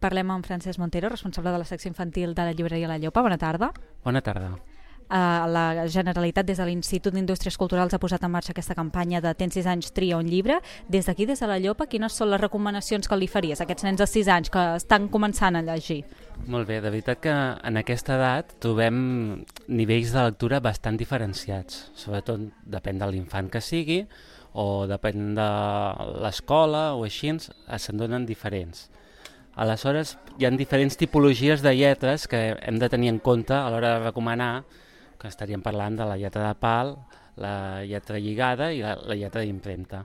parlem amb Francesc Montero, responsable de la secció infantil de la llibreria La Llopa. Bona tarda. Bona tarda. La Generalitat des de l'Institut d'Indústries Culturals ha posat en marxa aquesta campanya de Tens 6 anys, tria un llibre. Des d'aquí, des de La Llopa, quines són les recomanacions que li faries a aquests nens de 6 anys que estan començant a llegir? Molt bé, de veritat que en aquesta edat trobem nivells de lectura bastant diferenciats. Sobretot depèn de l'infant que sigui o depèn de l'escola o així, se'n donen diferents. Aleshores, hi ha diferents tipologies de lletres que hem de tenir en compte a l'hora de recomanar, que estaríem parlant de la lletra de pal, la lletra lligada i la lletra d'impremta.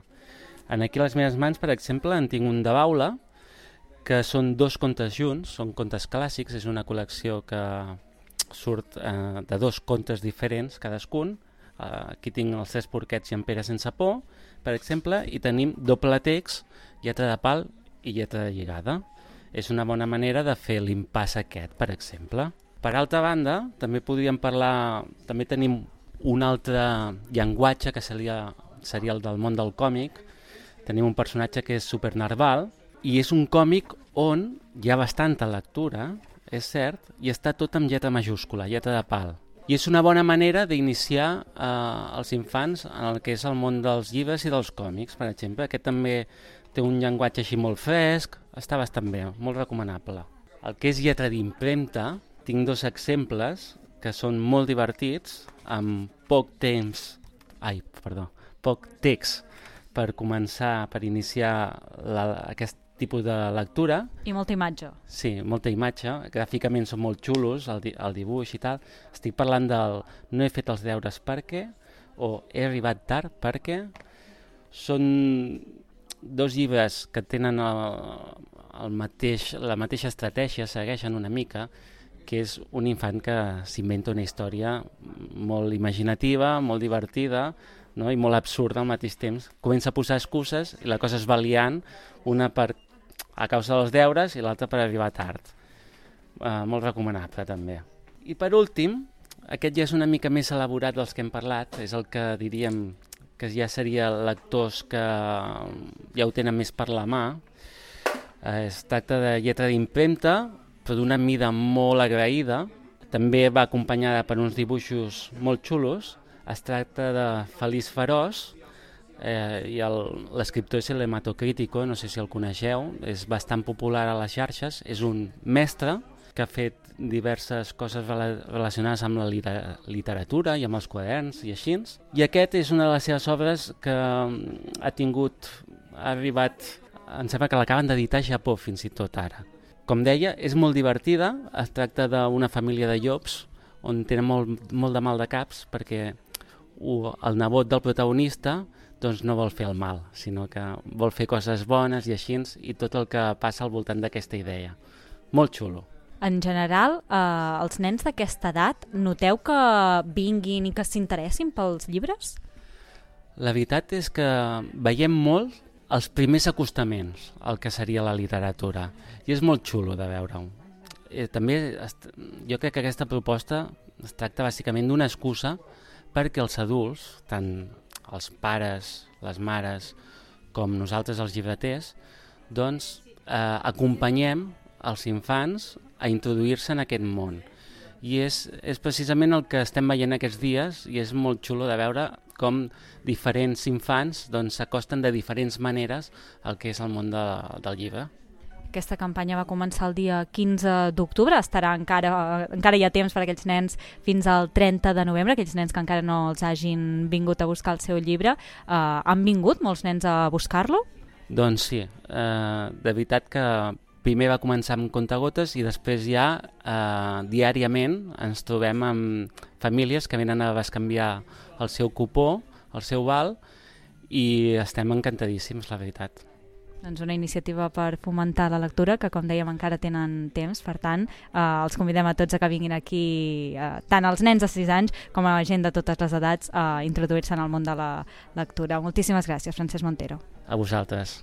Aquí a les meves mans, per exemple, en tinc un de Baula, que són 2 contes junts, són contes clàssics, és una col·lecció que surt de 2 contes diferents cadascun. Aquí tinc els 3 porquets i en Pere sense por, per exemple, i tenim doble text, lletra de pal i lletra de lligada. És una bona manera de fer l'impàs aquest, per exemple. Per altra banda, també podríem parlar, també tenim un altre llenguatge que seria el del món del còmic. Tenim un personatge que és Super Narval i és un còmic on hi ha bastanta lectura, és cert, i està tot amb lletra majúscula, lletra de pal. I és una bona manera d'iniciar els infants en el que és el món dels llibres i dels còmics, per exemple. Aquest també té un llenguatge així molt fresc, està bastant bé, molt recomanable. El que és lletra d'impremta, tinc 2 exemples que són molt divertits, amb poc text per començar, per iniciar aquest tipus de lectura. I molta imatge. Sí, molta imatge. Gràficament són molt xulos, el dibuix i tal. Estic parlant del No he fet els deures perquè, o He arribat tard perquè. Són 2 llibres que tenen la mateixa estratègia, segueixen una mica, que és un infant que s'inventa una història molt imaginativa, molt divertida, no? I molt absurda al mateix temps. Comença a posar excuses i la cosa es va liant, una a causa dels deures i l'altra per arribar tard. Molt recomanable també. I per últim, aquest ja és una mica més elaborat dels que hem parlat, és el que diríem que ja seria lectors que ja ho tenen més per la mà. Es tracta de lletra d'impremta, però d'una mida molt agraïda. També va acompanyada per uns dibuixos molt xulos. Es tracta de Feliç Feroç, i l'escriptor és el Hematocrítico, no sé si el coneixeu, és bastant popular a les xarxes, és un mestre que ha fet diverses coses relacionades amb la literatura i amb els quaderns i així. I aquest és una de les seves obres que ha arribat, em sembla que l'acaben d'editar a Japó fins i tot ara. Com deia, és molt divertida, es tracta d'una família de llops on tenen molt de mal de caps perquè el nebot del protagonista doncs no vol fer el mal, sinó que vol fer coses bones i així, i tot el que passa al voltant d'aquesta idea. Molt xulo. En general, els nens d'aquesta edat, noteu que vinguin i que s'interessin pels llibres? La veritat és que veiem molt els primers acostaments al que seria la literatura, i és molt xulo de veure-ho. També jo crec que aquesta proposta es tracta bàsicament d'una excusa perquè els adults, tant els pares, les mares, com nosaltres els llibreters, doncs acompanyem els infants a introduir-se en aquest món. I és precisament el que estem veient aquests dies, i és molt xulo de veure com diferents infants s'acosten de diferents maneres al que és el món del llibre. Aquesta campanya va començar el dia 15 d'octubre, estarà encara hi ha temps per a aquells nens fins al 30 de novembre, aquells nens que encara no els hagin vingut a buscar el seu llibre. Han vingut molts nens a buscar-lo? Doncs sí, de veritat que primer va començar amb contagotes i després ja diàriament ens trobem amb famílies que venen a bescanviar el seu cupó, el seu val, i estem encantadíssims, la veritat. Doncs una iniciativa per fomentar la lectura, que com dèiem encara tenen temps, per tant els convidem a tots a que vinguin aquí, tant els nens de 6 anys com a gent de totes les edats, a introduir-se en el món de la lectura. Moltíssimes gràcies, Francesc Montero. A vosaltres.